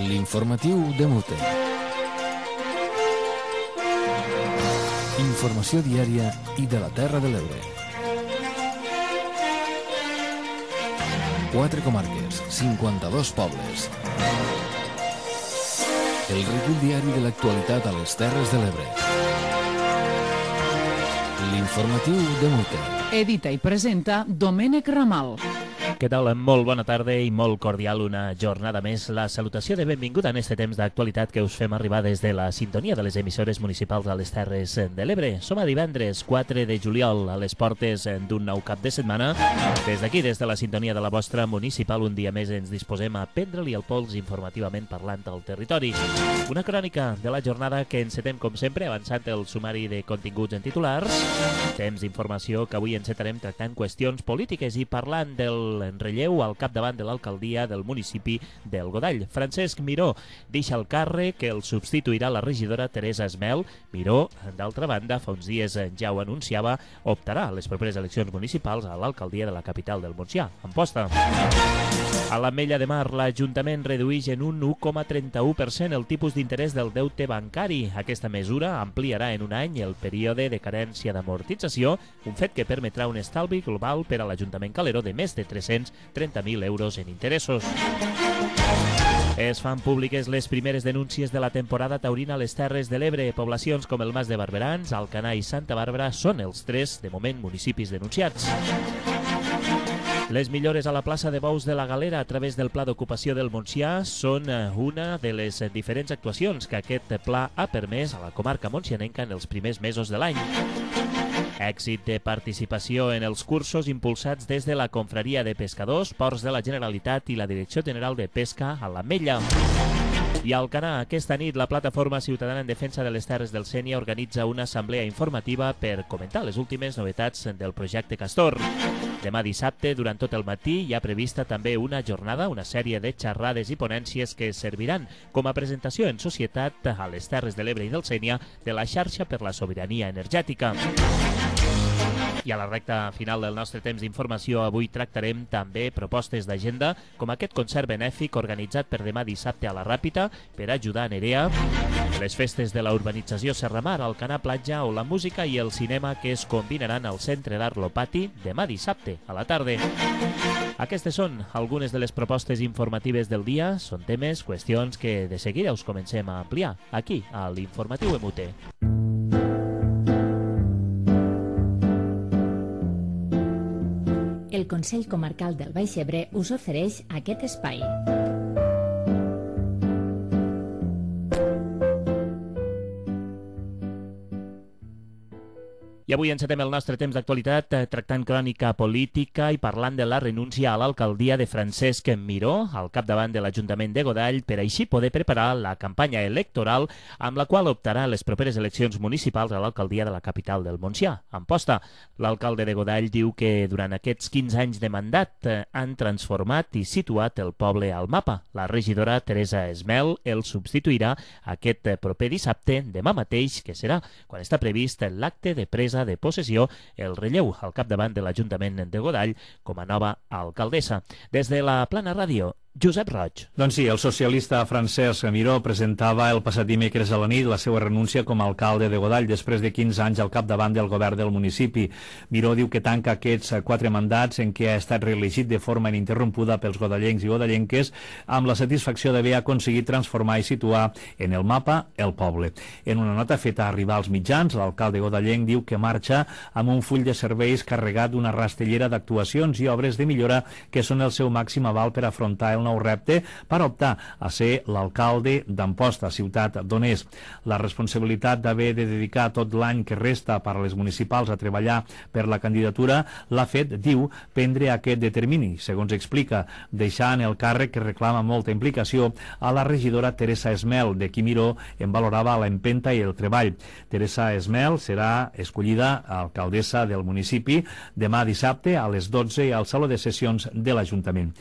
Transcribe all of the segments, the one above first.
L'informatiu de Mute. Informació diària i de la Terra de l'Ebre. 4 comarques, 52 pobles. El recull diari de l'actualitat a les Terres de l'Ebre. L'informatiu de Mute. Edita i presenta Domènec Ramal. Què tal? Molt bona tarda i molt cordial una jornada més. La salutació de benvinguda en este temps d'actualitat que us fem arribar des de la sintonia de les emissores municipals a les Terres de l'Ebre. Som a divendres 4 de juliol, a les portes d'un nou cap de setmana. Des d'aquí, des de la sintonia de la vostra municipal, un dia més ens disposem a prendre-li el pols informativament parlant al territori. Una crònica de la jornada que encetem, com sempre, avançant el sumari de continguts en titulars. Temps d'informació que avui encetarem tractant qüestions polítiques i parlant del relleu al capdavant de l'alcaldia del municipi del Godall. Francesc Miró deixa el càrrec, que el substituirà la regidora Teresa Esmel. Miró, d'altra banda, fa uns dies ja ho anunciava, optarà a les properes eleccions municipals a l'alcaldia de la capital del Montsià, Amposta. A l'Ametlla de Mar, l'Ajuntament redueix en un 1,31% el tipus d'interès del deute bancari. Aquesta mesura ampliarà en un any el període de carència d'amortització, un fet que permetrà un estalvi global per a l'Ajuntament Calero de més de 330.000 euros en interessos. Es fan públiques les primeres denúncies de la temporada taurina a les Terres de l'Ebre. Poblacions com el Mas de Barberans, Alcanar i Santa Bàrbara són els 3, de moment, municipis denunciats. Les millores a la plaça de Bous de la Galera a través del Pla d'Ocupació del Montsià són una de les diferents actuacions que aquest pla ha permès a la comarca montsianenca en els primers mesos de l'any. Èxit de participació en els cursos impulsats des de la Confraria de Pescadors, Ports de la Generalitat i la Direcció General de Pesca a l'Ametlla. I a Alcanar, aquesta nit, la Plataforma Ciutadana en Defensa de les Terres del Sénia organitza una assemblea informativa per comentar les últimes novetats del projecte Castor. Demà dissabte, durant tot el matí, hi ha prevista també una jornada, una sèrie de xerrades i ponències que serviran com a presentació en societat a les Terres de l'Ebre i del Sénia de la xarxa per la sobirania energètica. I a la recta final del nostre temps d'informació avui tractarem també propostes d'agenda com aquest concert benèfic organitzat per demà dissabte a la Ràpita per ajudar a Nerea, les festes de la urbanització Serramar, Alcanar Platja o la música i el cinema que es combinaran al Centre d'Art Lopati demà dissabte a la tarda. Aquestes són algunes de les propostes informatives del dia. Són temes, qüestions que de seguida us comencem a ampliar aquí a l'Informatiu MUT. El Consell Comarcal del Baix Ebre us ofereix aquest espai. I avui encetem el nostre temps d'actualitat tractant crònica política i parlant de la renúncia a l'alcaldia de Francesc Miró al capdavant de l'Ajuntament de Godall per així poder preparar la campanya electoral amb la qual optarà a les properes eleccions municipals a l'alcaldia de la capital del Montsià, Amposta. L'alcalde de Godall diu que durant aquests 15 anys de mandat han transformat i situat el poble al mapa. La regidora Teresa Esmel el substituirà aquest proper dissabte, demà mateix, que serà quan està previst l'acte de presa de possessió, el relleu al capdavant de l'Ajuntament de Godall com a nova alcaldessa. Des de la Plana Ràdio, Josep Roig. Doncs sí, el socialista Francesc Miró presentava el passat dimecres a la nit la seva renúncia com a alcalde de Godall després de 15 anys al capdavant del govern del municipi. Miró diu que tanca aquests 4 mandats en què ha estat reelegit de forma ininterrompuda pels godallencs i godallenques amb la satisfacció d'haver aconseguit transformar i situar en el mapa el poble. En una nota feta arribar als mitjans, l'alcalde godallenc diu que marxa amb un full de serveis carregat d'una rastellera d'actuacions i obres de millora que són el seu màxim aval per afrontar el nou repte per optar a ser l'alcalde d'Amposta, ciutat d'on és. La responsabilitat d'haver de dedicar tot l'any que resta per a les municipals a treballar per la candidatura l'ha fet, diu, prendre aquest determini, segons explica, deixant el càrrec que reclama molta implicació a la regidora Teresa Esmel, de qui Miró en valorava l'empenta i el treball. Teresa Esmel serà escollida alcaldessa del municipi demà dissabte a les 12 al Saló de Sessions de l'Ajuntament.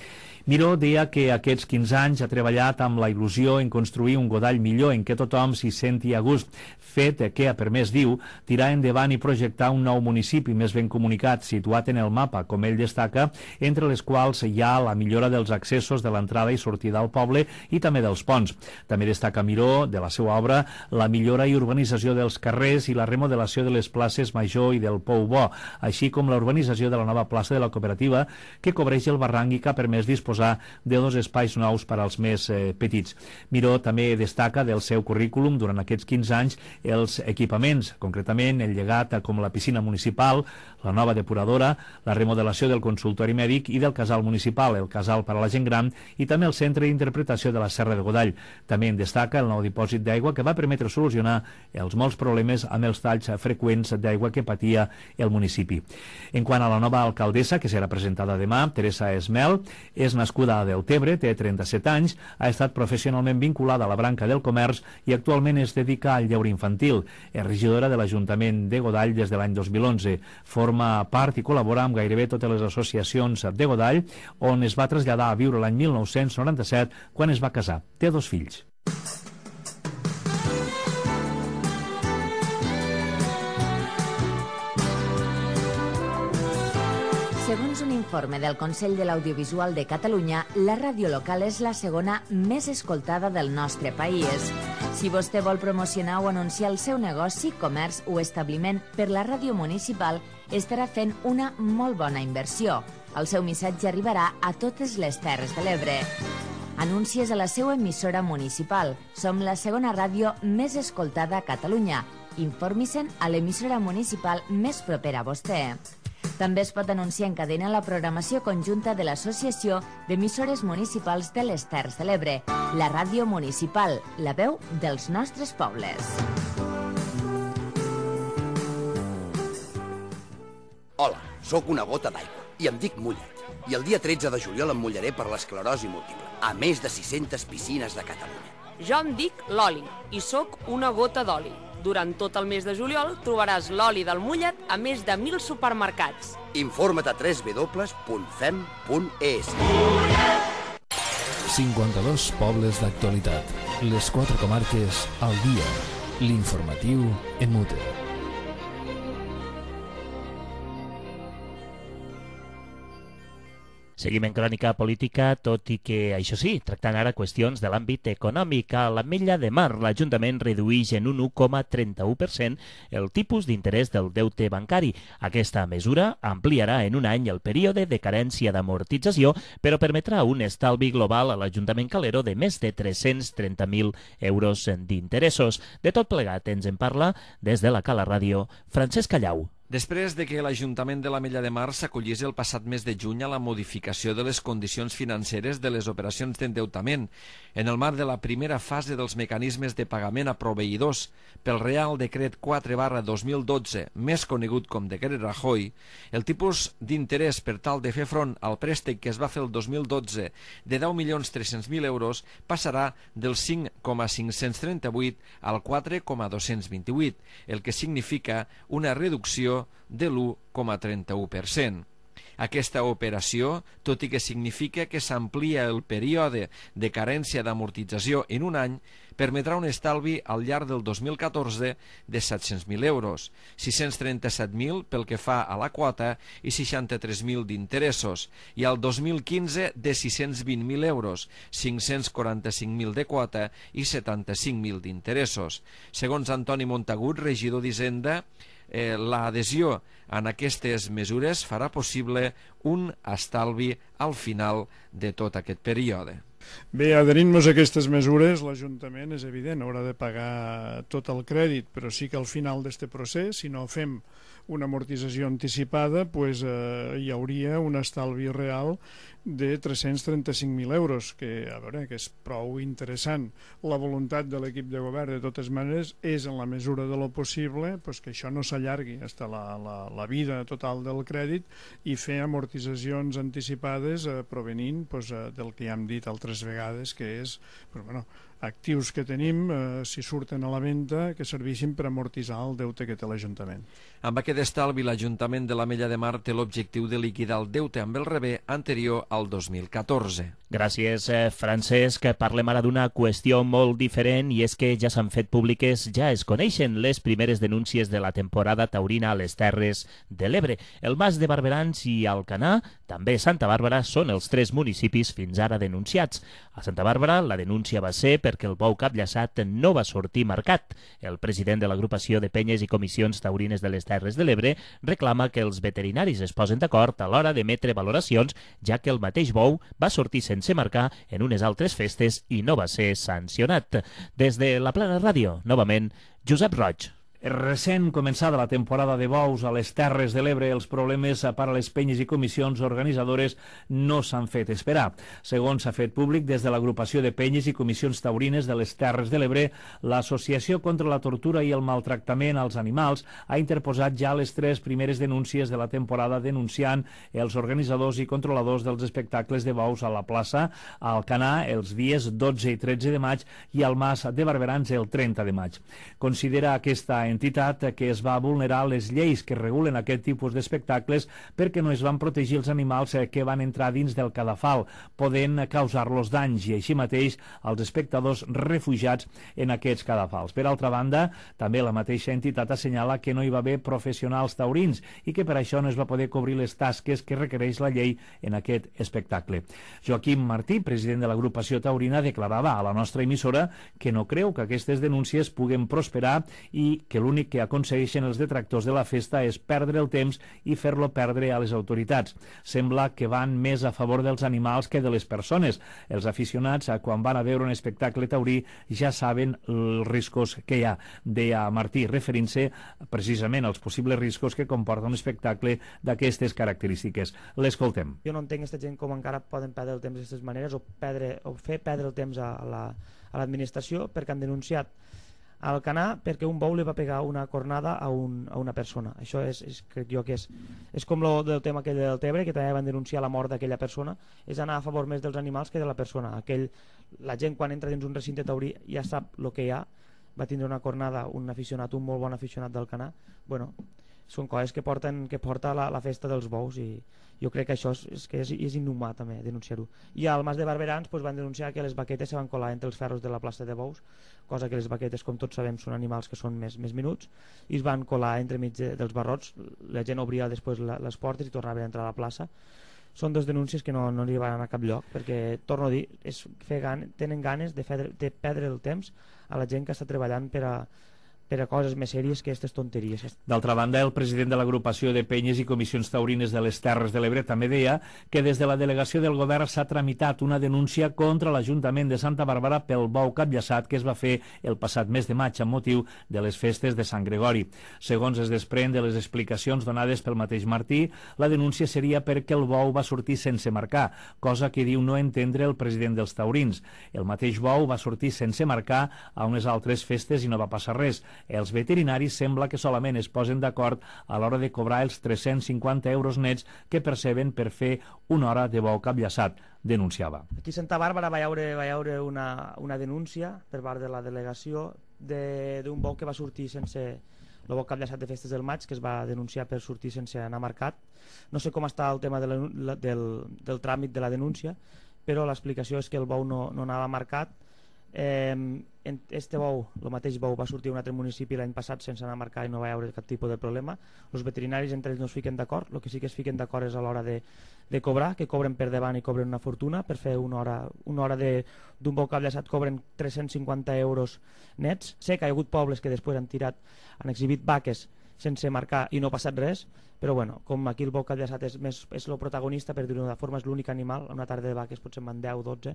Miró deia que aquests 15 anys ha treballat amb la il·lusió en construir un Godall millor en què tothom s'hi senti a gust, fet que ha permès, diu, tirar endavant i projectar un nou municipi més ben comunicat, situat en el mapa, com ell destaca, entre les quals hi ha la millora dels accessos de l'entrada i sortida al poble i també dels ponts. També destaca Miró, de la seva obra, la millora i urbanització dels carrers i la remodelació de les places Major i del Pou Bo, així com la urbanització de la nova plaça de la cooperativa que cobreix el barranc i que ha permès disposar de 2 espais nous per als més petits. Miró també destaca del seu currículum durant aquests 15 anys els equipaments, concretament el llegat com la piscina municipal, la nova depuradora, la remodelació del consultori mèdic i del casal municipal, el casal per a la gent gran i també el centre d'interpretació de la Serra de Godall. També en destaca el nou dipòsit d'aigua que va permetre solucionar els molts problemes amb els talls freqüents d'aigua que patia el municipi. En quant a la nova alcaldessa, que serà presentada demà, Teresa Esmel, és nascuda a Deltebre, té 37 anys, ha estat professionalment vinculada a la branca del comerç i actualment es dedica al lleure infantil. És regidora de l'Ajuntament de Godall des de l'any 2011. Forma part i col·labora amb gairebé totes les associacions de Godall, on es va traslladar a viure l'any 1997 quan es va casar. Té 2 fills. Segons un informe del Consell de l'Audiovisual de Catalunya, la ràdio local és la segona més escoltada del nostre país. Si vostè vol promocionar o anunciar el seu negoci, comerç o establiment per la ràdio municipal, estarà fent una molt bona inversió. El seu missatge arribarà a totes les Terres de l'Ebre. Anuncies a la seva emissora municipal. Som la segona ràdio més escoltada a Catalunya. Informi-se'n a l'emissora municipal més propera a vostè. També es pot anunciar en cadena la programació conjunta de l'Associació d'Emissores Municipals de les Terres de l'Ebre, la ràdio municipal, la veu dels nostres pobles. Hola, sóc una gota d'aigua i em dic Mullet. I el dia 13 de juliol em mullaré per l'esclerosi múltiple, a més de 600 piscines de Catalunya. Jo em dic Loli i sóc una gota d'oli. Durant tot el mes de juliol trobaràs l'oli del Mullet a més de 1.000 supermercats. Informa't a www.fem.es. 52 pobles d'actualitat. Les 4 comarques al dia. L'informatiu en Mute. Seguim en crònica política, tot i que, això sí, tractant ara qüestions de l'àmbit econòmic. A l'Ametlla de Mar, l'Ajuntament redueix en un 1,31% el tipus d'interès del deute bancari. Aquesta mesura ampliarà en un any el període de carència d'amortització, però permetrà un estalvi global a l'Ajuntament Calero de més de 330.000 euros d'interessos. De tot plegat ens en parla des de la Cala Ràdio, Francesc Callau. Després de que l'Ajuntament de l'Ametlla de Mar s'acollís el passat mes de juny a la modificació de les condicions financeres de les operacions d'endeutament en el marc de la primera fase dels mecanismes de pagament a proveïdors pel Real Decret 4/2012, més conegut com Decret Rajoy, el tipus d'interès per tal de fer front al préstec que es va fer el 2012 de 10.300.000 euros passarà del 5,538 al 4,228, el que significa una reducció de l'1,31%. Aquesta operació, tot i que significa que s'amplia el període de carència d'amortització en un any, permetrà un estalvi al llarg del 2014 de 700.000 euros, 637.000 pel que fa a la quota i 63.000 d'interessos, i al 2015 de 620.000 euros, 545.000 de quota i 75.000 d'interessos. Segons Antoni Montagut, regidor d'Hisenda, l'adhesió en aquestes mesures farà possible un estalvi al final de tot aquest període. Bé, adherint-nos a aquestes mesures, l'Ajuntament, és evident, haurà de pagar tot el crèdit, però sí que al final d'aquest procés, si no fem una amortització anticipada, hi hauria un estalvi real de 335.000 euros, que, a veure, que és prou interessant. La voluntat de l'equip de govern, de totes maneres, és, en la mesura de lo possible, que això no s'allargui fins a la vida total del crèdit i fer amortitzacions anticipades provenint del que ja hem dit altres vegades, que és actius que tenim, si surten a la venda, que serveixin per amortitzar el deute que té l'Ajuntament. Amb aquest estalvi, l'Ajuntament de l'Ametlla de Mar té l'objectiu de liquidar el deute amb el rebé anterior al 2014. Gràcies, Francesc. Parlem ara d'una qüestió molt diferent i és que ja s'han fet públiques, ja es coneixen les primeres denúncies de la temporada taurina a les Terres de l'Ebre. El Mas de Barberans i Alcanar, també Santa Bàrbara, són els 3 municipis fins ara denunciats. A Santa Bàrbara la denúncia va ser perquè el bou capllaçat no va sortir marcat. El president de l'agrupació de penyes i comissions taurines de les Terres de l'Ebre reclama que els veterinaris es posen d'acord a l'hora d'emetre valoracions, ja que el mateix bou va sortir sense marcar en unes altres festes i no va ser sancionat. Des de la Plana Ràdio, novament, Josep Roig. Recent començada la temporada de bous a les Terres de l'Ebre, els problemes per a les penyes i comissions organitzadores no s'han fet esperar. Segons s'ha fet públic des de l'agrupació de penyes i comissions taurines de les Terres de l'Ebre, l'Associació contra la Tortura i el Maltractament als Animals ha interposat ja les 3 primeres denúncies de la temporada denunciant els organitzadors i controladors dels espectacles de bous a la plaça, a Alcanar els dies 12 i 13 de maig i al Mas de Barberans el 30 de maig. Considera aquesta entitat que es va vulnerar les lleis que regulen aquest tipus d'espectacles perquè no es van protegir els animals que van entrar dins del cadafal, podent causar-los danys i així mateix als espectadors refugiats en aquests cadafals. Per altra banda, també la mateixa entitat assenyala que no hi va haver professionals taurins i que per això no es va poder cobrir les tasques que requereix la llei en aquest espectacle. Joaquim Martí, president de l'agrupació taurina, declarava a la nostra emissora que no creu que aquestes denúncies puguen prosperar i que l'únic que aconsegueixen els detractors de la festa és perdre el temps i fer-lo perdre a les autoritats. Sembla que van més a favor dels animals que de les persones. Els aficionats, quan van a veure un espectacle taurí, ja saben els riscos que hi ha, deia Martí, referint-se precisament als possibles riscos que comporta un espectacle d'aquestes característiques. L'escoltem. Jo no entenc aquesta gent com encara poden perdre el temps d'aquestes maneres o fer perdre el temps a l'administració perquè han denunciat a Alcanar perquè un bou li va pegar una cornada a una persona. Això crec jo que és com lo del tema aquell del Tebre, que també van denunciar la mort d'aquella persona, és anar a favor més dels animals que de la persona. La gent quan entra dins un recinte taurí ja sap el que hi ha, va tindre una cornada un molt bon aficionat d'Alcanar. Bueno, són coses que porta la festa dels bous i jo crec que això és inhumà també denunciar-ho. I al Mas de Barberans van denunciar que les baquetes se van colar entre els ferros de la plaça de bous, cosa que les baquetes, com tots sabem, són animals que són més minuts, i es van colar entremig dels barrots. La gent obria després les portes i tornava a entrar a la plaça. Són 2 denúncies que no li van a cap lloc, perquè, torno a dir, tenen ganes de perdre el temps a la gent que està treballant per a coses més sèries que aquestes tonteries. D'altra banda, el president de l'agrupació de penyes i comissions taurines de les Terres de l'Ebre també deia que des de la delegació del govern s'ha tramitat una denúncia contra l'Ajuntament de Santa Bàrbara pel bou capllaçat que es va fer el passat mes de maig amb motiu de les festes de Sant Gregori. Segons es desprèn de les explicacions donades pel mateix Martí, la denúncia seria perquè el bou va sortir sense marcar, cosa que diu no entendre el president dels taurins. El mateix bou va sortir sense marcar a unes altres festes i no va passar res. Els veterinaris sembla que solament es posen d'acord a l'hora de cobrar els 350 euros nets que perceben per fer una hora de bou capllaçat, denunciava. Aquí a Santa Bàrbara va hi haure una denúncia per part de la delegació d'un bou que va sortir sense el bou capllaçat de festes del maig, que es va denunciar per sortir sense anar marcat. No sé com està el tema del tràmit de la denúncia, però l'explicació és que el bou no anava marcat. Este bou, el mateix bou, va sortir a un altre municipi l'any passat sense anar a marcar i no va haver cap tipus de problema. Els veterinaris entre ells no es fiquen d'acord, el que sí que es fiquen d'acord és a l'hora de cobrar, que cobren per davant i cobren una fortuna. Per fer una hora d'un bou capllaçat cobren 350 euros nets. Sé que hi ha hagut pobles que després han exhibit vaques sense marcar i no ha passat res, però bueno, com aquí el bou capllaçat és el protagonista, per dir-ho d'una forma, és l'únic animal, una tarda de vaques potser en van 10 o 12,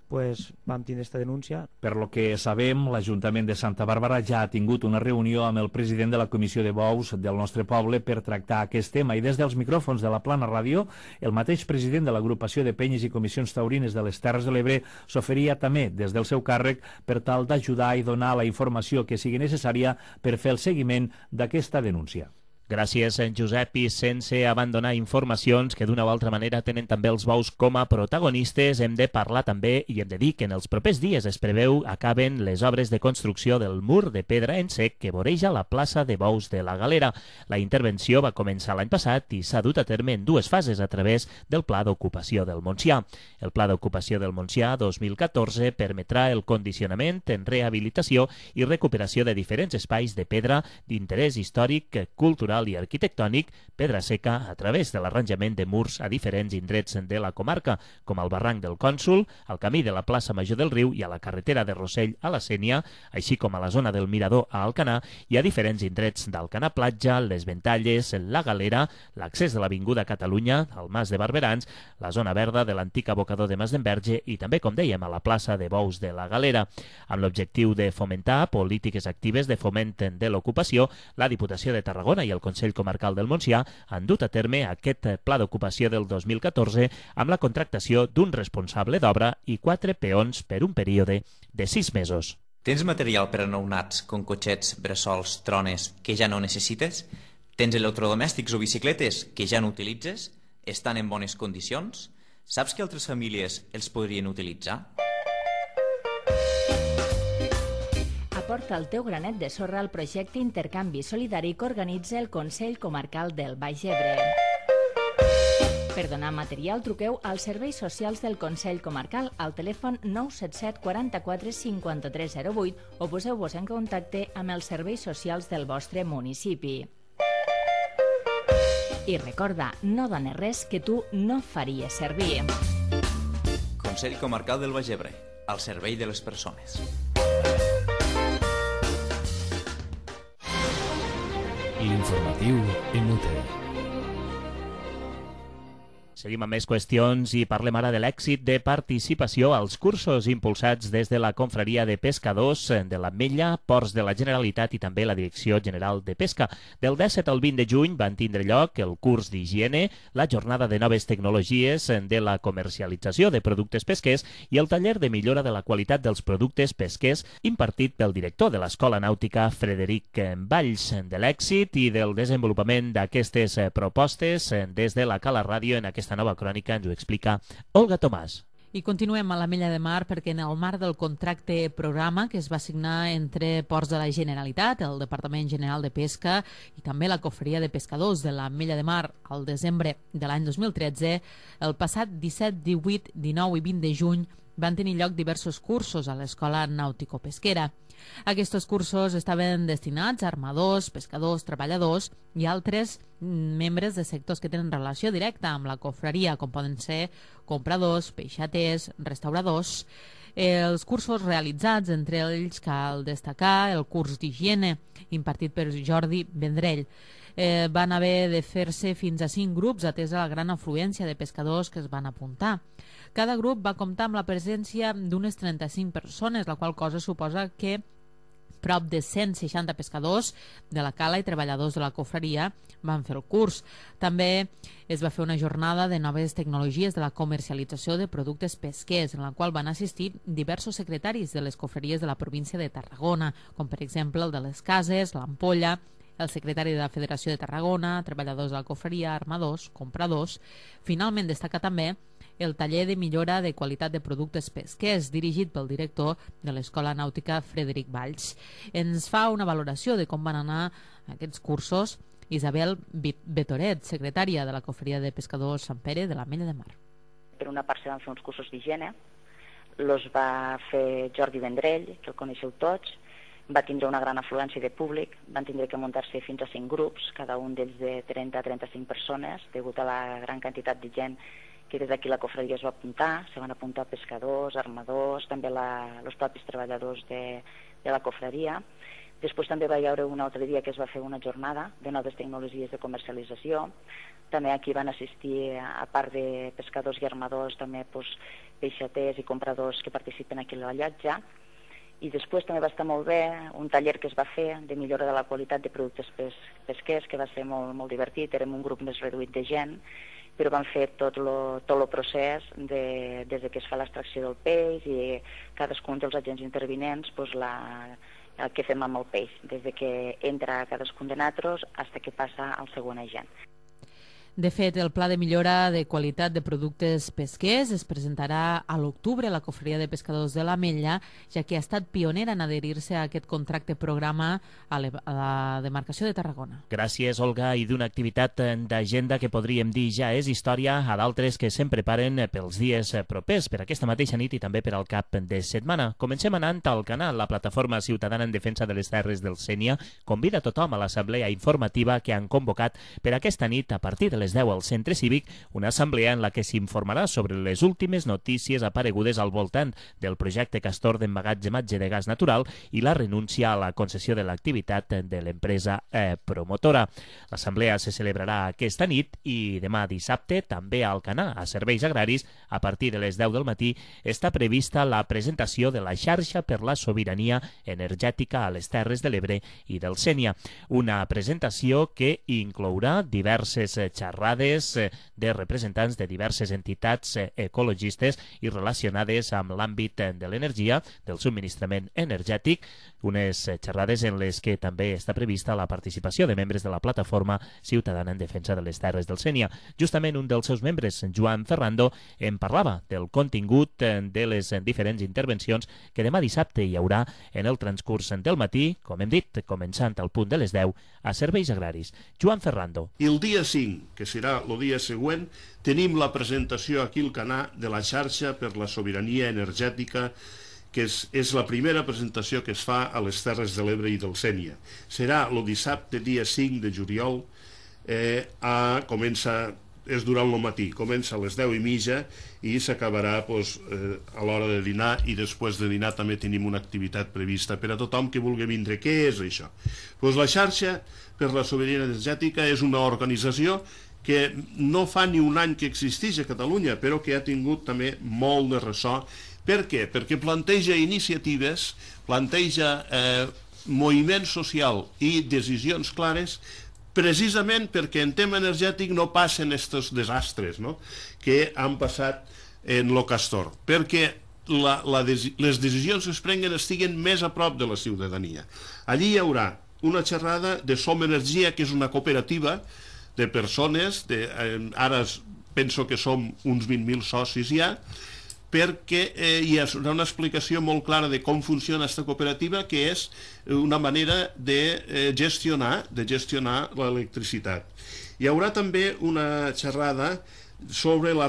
pues vam tindre aquesta denúncia. Per lo que sabem, l'Ajuntament de Santa Bàrbara ja ha tingut una reunió amb el president de la Comissió de Bous del nostre poble per tractar aquest tema, i des dels micròfons de la Plana Ràdio, el mateix president de l'agrupació de penyes i comissions taurines de les Terres de l'Ebre s'oferia també des del seu càrrec per tal d'ajudar i donar la informació que sigui necessària per fer el seguiment d'aquesta denúncia. Gràcies, en Josep, i sense abandonar informacions que d'una o altra manera tenen també els bous com a protagonistes, hem de parlar també i hem de dir que en els propers dies es preveu acaben les obres de construcció del mur de pedra en sec que voreja la plaça de Bous de la Galera. La intervenció va començar l'any passat i s'ha dut a terme en dues fases a través del Pla d'Ocupació del Montsià. El Pla d'Ocupació del Montsià 2014 permetrà el condicionament en rehabilitació i recuperació de diferents espais de pedra d'interès històric, cultural i arquitectònic, pedra seca, a través de l'arranjament de murs a diferents indrets de la comarca, com el barranc del Cònsol, al camí de la plaça Major del Riu i a la carretera de Rossell a la Sénia, així com a la zona del Mirador a Alcanar i a diferents indrets d'Alcanar Platja, les Ventalles, la Galera, l'accés de l'Avinguda Catalunya, al Mas de Barberans, la zona verda de l'antic abocador de Mas d'Enverge i també, com dèiem, a la plaça de Bous de la Galera. Amb l'objectiu de fomentar polítiques actives de foment de l'ocupació, la Diputació de Tarragona i el Consell Comarcal del Montsià han dut a terme aquest pla d'ocupació del 2014 amb la contractació d'un responsable d'obra i 4 peons per un període de 6 mesos. Tens material per a nounats com cotxets, bressols, trones que ja no necessites? Tens electrodomèstics o bicicletes que ja no utilitzes? Estan en bones condicions? Saps que altres famílies els podrien utilitzar? Aporta el teu granet de sorra al projecte Intercanvi Solidari que organitza el Consell Comarcal del Baix Ebre. Per donar material, truqueu als serveis socials del Consell Comarcal al telèfon 977 44 53 08 o poseu-vos en contacte amb els serveis socials del vostre municipi. I recorda, no dones res que tu no faries servir. Consell Comarcal del Baix Ebre, al servei de les persones. L'informatiu en UTE. Seguim amb més qüestions i parlem ara de l'èxit de participació als cursos impulsats des de la Confraria de Pescadors de l'Ametlla, Ports de la Generalitat i també la Direcció General de Pesca. Del 17 al 20 de juny van tindre lloc el curs d'higiene, la jornada de noves tecnologies de la comercialització de productes pesquers i el taller de millora de la qualitat dels productes pesquers impartit pel director de l'Escola Nàutica, Frederic Valls. De l'èxit i del desenvolupament d'aquestes propostes des de la Cala Ràdio en aquesta nova crònica ens ho explica Olga Tomàs. I continuem a l'Ametlla de Mar perquè en el marc del contracte programa que es va signar entre Ports de la Generalitat, el Departament General de Pesca i també la Cofreria de Pescadors de l'Ametlla de Mar al desembre de l'any 2013, el passat 17, 18, 19 i 20 de juny van tenir lloc diversos cursos a l'Escola Nàutico-Pesquera. Aquests cursos estaven destinats a armadors, pescadors, treballadors i altres membres de sectors que tenen relació directa amb la cofreria, com poden ser compradors, peixaters, restauradors. Els cursos realitzats, entre ells cal destacar el curs d'higiene impartit per Jordi Vendrell. Van haver de fer-se fins a 5 grups atesa la gran afluència de pescadors que es van apuntar. Cada grup va comptar amb la presència d'unes 35 persones, la qual cosa suposa que prop de 160 pescadors de la cala i treballadors de la cofreria van fer el curs. També es va fer una jornada de noves tecnologies de la comercialització de productes pesquers, en la qual van assistir diversos secretaris de les cofreries de la província de Tarragona, com per exemple el de les Cases, l'Ampolla, el secretari de la Federació de Tarragona, treballadors de la cofreria, armadors, compradors. Finalment destaca també el taller de millora de qualitat de productes pesquers dirigit pel director de l'Escola Nàutica, Frederic Valls. Ens fa una valoració de com van anar aquests cursos Isabel Betoret, secretària de la Cofreria de Pescadors Sant Pere de l'Ametlla de Mar. Per una part se van fer uns cursos d'higiene, els va fer Jordi Vendrell, que el coneixeu tots, va tindre una gran afluència de públic, van tindre que muntar-se fins a 5 grups, cada un d'ells de 30 a 35 persones, degut a la gran quantitat de gent que des d'aquí la cofreria es va apuntar. Se van apuntar pescadors, armadors, també els propis treballadors de la cofreria. Després també va haver un altre dia que es va fer una jornada de noves tecnologies de comercialització. També aquí van assistir, a part de pescadors i armadors, també peixaters i compradors que participen aquí a la llotja. I després també va estar molt bé un taller que es va fer de millora de la qualitat de productes pesquers, que va ser molt divertit. Érem un grup més reduït de gent, però vam fer tot el procés des que es fa l'extracció del peix i cadascun dels agents intervinents què fem amb el peix, des de que entra cadascun de nosaltres fins que passa al següent agent. De fet, el pla de millora de qualitat de productes pesquers es presentarà a l'octubre a la Cofreria de Pescadors de l'Ametlla, ja que ha estat pionera en adherir-se a aquest contracte programa a la demarcació de Tarragona. Gràcies, Olga, i d'una activitat d'agenda que podríem dir ja és història, a d'altres que se'n preparen pels dies propers, per aquesta mateixa nit i també per al cap de setmana. Comencem anant al canal. La Plataforma Ciutadana en Defensa de les Terres del Sénia convida tothom a l'assemblea informativa que han convocat per aquesta nit a partir de les 10 al Centre Cívic, una assemblea en la que s'informarà sobre les últimes notícies aparegudes al voltant del projecte Castor d'emmagatzematge de gas natural i la renúncia a la concessió de l'activitat de l'empresa promotora. L'assemblea se celebrarà aquesta nit i demà dissabte també a Alcanar, a Serveis Agraris, a partir de les 10 del matí, està prevista la presentació de la xarxa per la sobirania energètica a les Terres de l'Ebre i del Sénia. Una presentació que inclourà diverses xerrades de representants de diverses entitats ecologistes i relacionades amb l'àmbit de l'energia, del subministrament energètic, unes xerrades en les que també està prevista la participació de membres de la Plataforma Ciutadana en Defensa de les Terres del Sénia. Justament un dels seus membres, Joan Ferrando, en parlava del contingut de les diferents intervencions que demà dissabte hi haurà en el transcurs del matí, com hem dit, començant al punt de les 10, a Serveis Agraris. Joan Ferrando. I el dia 5, que serà el dia següent, tenim la presentació aquí al Canà de la xarxa per la sobirania energètica, que és la primera presentació que es fa a les Terres de l'Ebre i del Sénia. Serà el dissabte, dia 5 de juliol, és durant el matí, comença a les 10:30 i s'acabarà a l'hora de dinar, i després de dinar també tenim una activitat prevista per a tothom que vulgui vindre. Què és això? La xarxa per la sobirania energètica és una organització que no fa ni un any que existeix a Catalunya, però que ha tingut també molt de ressò. Per què? Perquè planteja iniciatives, planteja moviment social i decisions clares, precisament perquè en tema energètic no passen aquests desastres que han passat en lo Castor, perquè les decisions que es prenguen estiguen més a prop de la ciutadania. Allí hi haurà una xerrada de Som Energia, que és una cooperativa de persones, ara penso que som uns 20.000 socis ja, perquè hi ha una explicació molt clara de com funciona aquesta cooperativa, que és una manera de gestionar l'electricitat. Hi haurà també una xerrada sobre la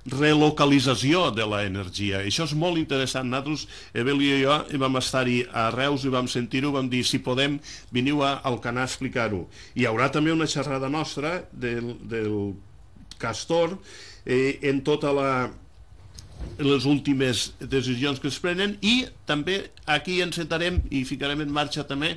relocalització de l'energia. Això és molt interessant. Nosaltres, Evelio i jo, vam estar-hi a Reus i vam sentir-ho, vam dir, si podem, veniu a Alcanar a explicar-ho. Hi haurà també una xerrada nostra del Castor en totes les últimes decisions que es prenen, i també aquí encetarem i ficarem en marxa també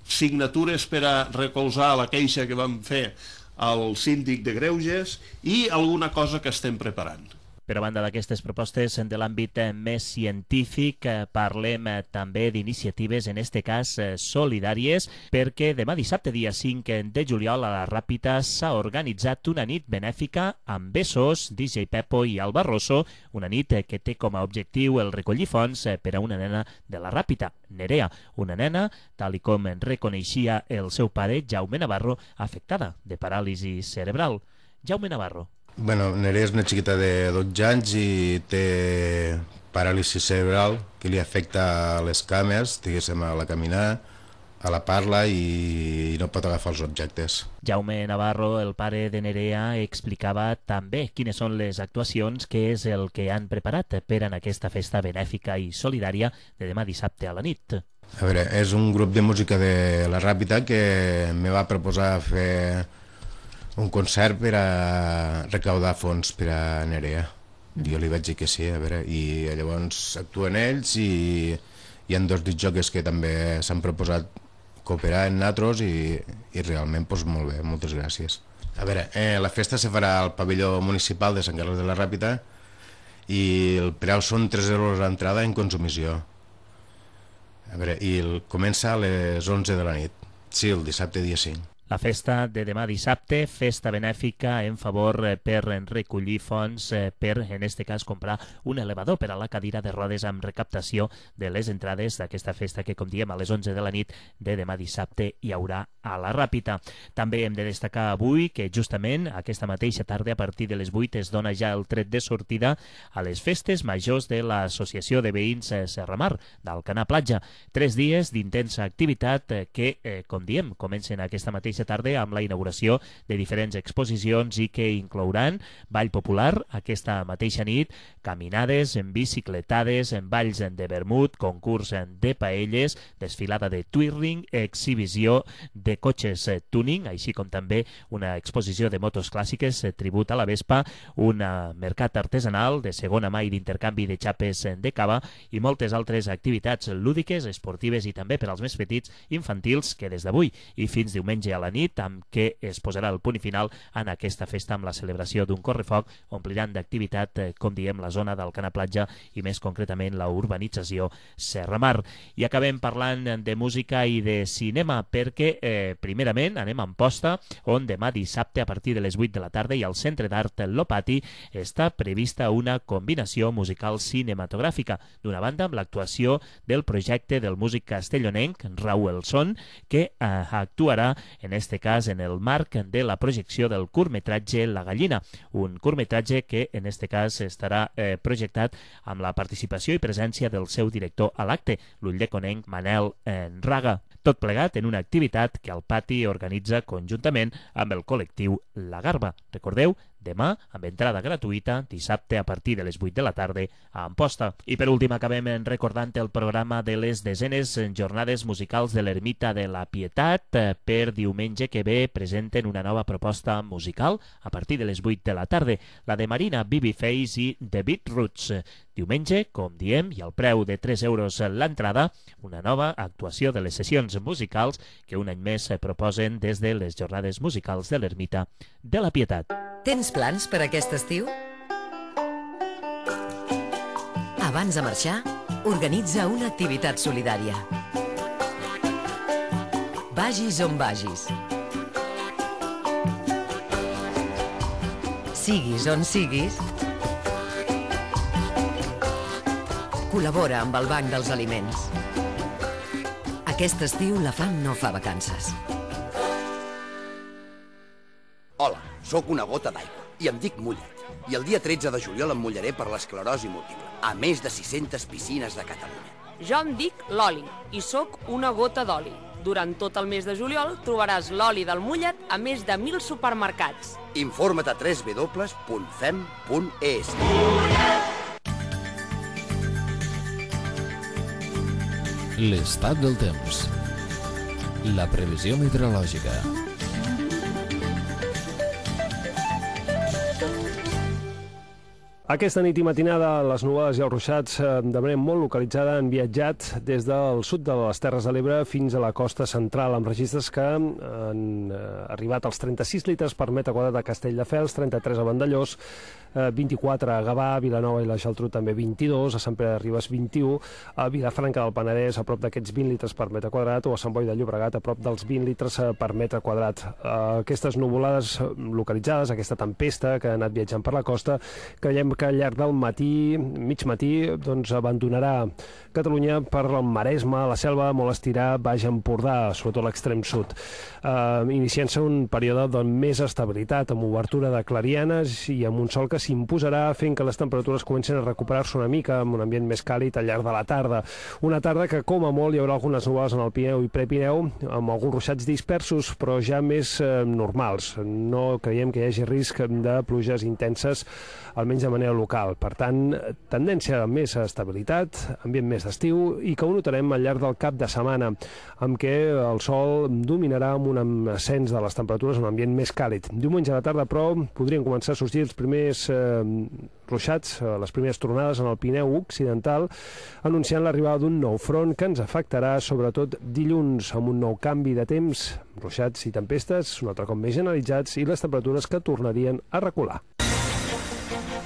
signatures per a recolzar la queixa que vam fer al síndic de Greuges i alguna cosa que estem preparant. Per a banda d'aquestes propostes de l'àmbit més científic, parlem també d'iniciatives, en este cas solidàries, perquè demà dissabte, dia 5 de juliol, a la Ràpita s'ha organitzat una nit benèfica amb Bessos, DJ Pepo i Alba Rosso, una nit que té com a objectiu el recollir fons per a una nena de la Ràpita, Nerea, una nena, tal com reconeixia el seu pare, Jaume Navarro, afectada de paràlisi cerebral. Jaume Navarro. Nerea és una xiqueta de 12 anys i té paràlisi cerebral que li afecta a les cames, diguéssim, a la caminar, a la parla, i no pot agafar els objectes. Jaume Navarro, el pare de Nerea, explicava també quines són les actuacions, que és el que han preparat per en aquesta festa benèfica i solidària de demà dissabte a la nit. A veure, és un grup de música de la Ràpita que me va proposar fer un concert per a recaudar fons per a Nerea. Jo li vaig dir que sí, a veure, i llavors actuen ells, i hi ha 2 discjòqueis que també s'han proposat cooperar en nosaltres, i realment, doncs molt bé, moltes gràcies. A veure, la festa se farà al pavelló municipal de Sant Carles de la Ràpita, i el preu són 3 euros d'entrada en consumició. A veure, i comença a les 11 de la nit. Sí, el dissabte dia 5. La festa de demà dissabte, festa benèfica en favor per recollir fons per, en este cas, comprar un elevador per a la cadira de rodes amb recaptació de les entrades d'aquesta festa que, com diem, a les 11 de la nit de demà dissabte hi haurà a la Ràpita. També hem de destacar avui que justament aquesta mateixa tarda, a partir de les 8, es dona ja el tret de sortida a les festes majors de l'Associació de Veïns Serramar d'Alcanar Platja. 3 dies d'intensa activitat que, com diem, comencen aquesta mateixa tarda amb la inauguració de diferents exposicions i que inclouran ball popular aquesta mateixa nit, caminades, en bicicletades, en balls de vermut, concurs de paelles, desfilada de twirling, exhibició de cotxes tuning, així com també una exposició de motos clàssiques, tribut a la Vespa, un mercat artesanal de segona mà i d'intercanvi de xapes de cava i moltes altres activitats lúdiques, esportives i també per als més petits infantils que des d'avui i fins diumenge a la nit, amb què es posarà el punt i final en aquesta festa amb la celebració d'un correfoc, ompliran d'activitat, com diem, la zona d'Alcanar Platja i més concretament la urbanització Serramar. I acabem parlant de música i de cinema perquè, primerament, anem a Amposta, on demà dissabte a partir de les 8 de la tarda i al Centre d'Art Lopati està prevista una combinació musical cinematogràfica. D'una banda, amb l'actuació del projecte del músic castellonenc Raúl Son, que actuarà en este cas en el marc de la projecció del curtmetratge La Gallina, un curtmetratge que en este cas estarà projectat amb la participació i presència del seu director a l'acte, l'ulldeconenc Manel Raga. Tot plegat en una activitat que el Pati organitza conjuntament amb el col·lectiu La Garba. Recordeu, demà, amb entrada gratuïta, dissabte a partir de les 8 de la tarda a Amposta. I per últim acabem recordant el programa de les desenes jornades musicals de l'Ermita de la Pietat. Per diumenge que ve presenten una nova proposta musical a partir de les 8 de la tarda, la de Marina Babyface i The Beatroots. Diumenge, com diem, i al preu de 3 euros l'entrada, una nova actuació de les sessions musicals que un any més proposen des de les jornades musicals de l'Ermita de la Pietat. Tens plans per aquest estiu? Abans de marxar, organitza una activitat solidària. Vagis on vagis. Siguis on siguis, col·labora amb el Banc dels Aliments. Aquest estiu la fam no fa vacances. Hola, sóc una gota d'aigua i em dic Mullet. I el dia 13 de juliol em mullaré per l'esclerosi múltiple, a més de 600 piscines de Catalunya. Jo em dic Loli i sóc una gota d'oli. Durant tot el mes de juliol trobaràs l'oli del mullet a més de 1.000 supermercats. Informa't a www.fem.es. L'estat del temps. La previsió meteorològica. Aquesta nit i matinada les nuvolades i els ruixats de manera molt localitzada han viatjat des del sud de les Terres de l'Ebre fins a la costa central, amb registres que han arribat als 36 litres per metre quadrat a Castelldefels, 33 a Vandellòs, 24 a Gavà, a Vilanova i la Geltrú també 22, a Sant Pere de Ribes 21, a Vilafranca del Penedès a prop d'aquests 20 litres per metre quadrat o a Sant Boi de Llobregat a prop dels 20 litres per metre quadrat. Aquestes nuvolades localitzades, aquesta tempesta que ha anat viatjant per la costa, creiem que al llarg del matí, mig matí, doncs abandonarà Catalunya per el Maresme, la Selva, molt estirar, Baix Empordà, sobretot l'extrem sud. Iniciant-se un període de més estabilitat, amb obertura de clarianes i amb un sol que s'imposarà fent que les temperatures comencen a recuperar-se una mica amb un ambient més càlid al llarg de la tarda. Una tarda que, com a molt, hi haurà algunes nuvolades en el Pirineu i Prepineu, amb alguns ruixats dispersos, però ja més normals. No creiem que hi hagi risc de pluges intenses, almenys de manera local. Per tant, tendència a més estabilitat, ambient més d'estiu, i que ho notarem al llarg del cap de setmana, amb què el sol dominarà amb un ascens de les temperatures, un ambient més càlid. Diumenge a la tarda, però, podrien començar a sorgir els primers ruixats, les primeres tronades en el Pirineu occidental, anunciant l'arribada d'un nou front que ens afectarà sobretot dilluns, amb un nou canvi de temps, ruixats i tempestes, un altre cop més generalitzats, i les temperatures que tornarien a recular.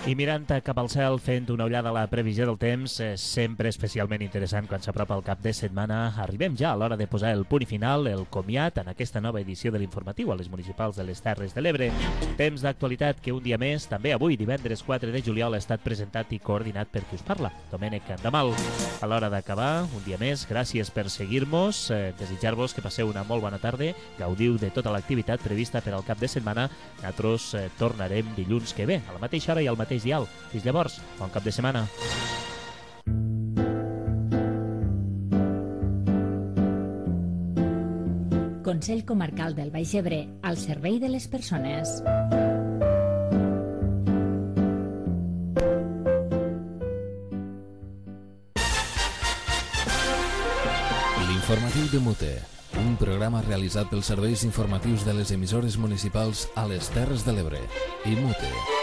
I mirant cap al cel, fent una ullada a la previsió del temps, sempre especialment interessant quan s'apropa el cap de setmana, arribem ja a l'hora de posar el punt i final, el comiat en aquesta nova edició de l'informatiu a les municipals de les Terres de l'Ebre. Temps d'actualitat que un dia més, també avui, divendres 4 de juliol, ha estat presentat i coordinat per qui us parla, Domènec Andamal. A l'hora d'acabar, un dia més, gràcies per seguir-nos, desitjar-vos que passeu una molt bona tarda, gaudiu de tota l'activitat prevista per al cap de setmana. Nosaltres tornarem dilluns que ve, a la mateixa hora i al mateix dial. Fins llavors, bon cap de setmana. Consell Comarcal del Baix Ebre, al servei de les persones. L'informatiu de Mute, un programa realitzat pels serveis informatius de les emissores municipals a les Terres de l'Ebre i Mute.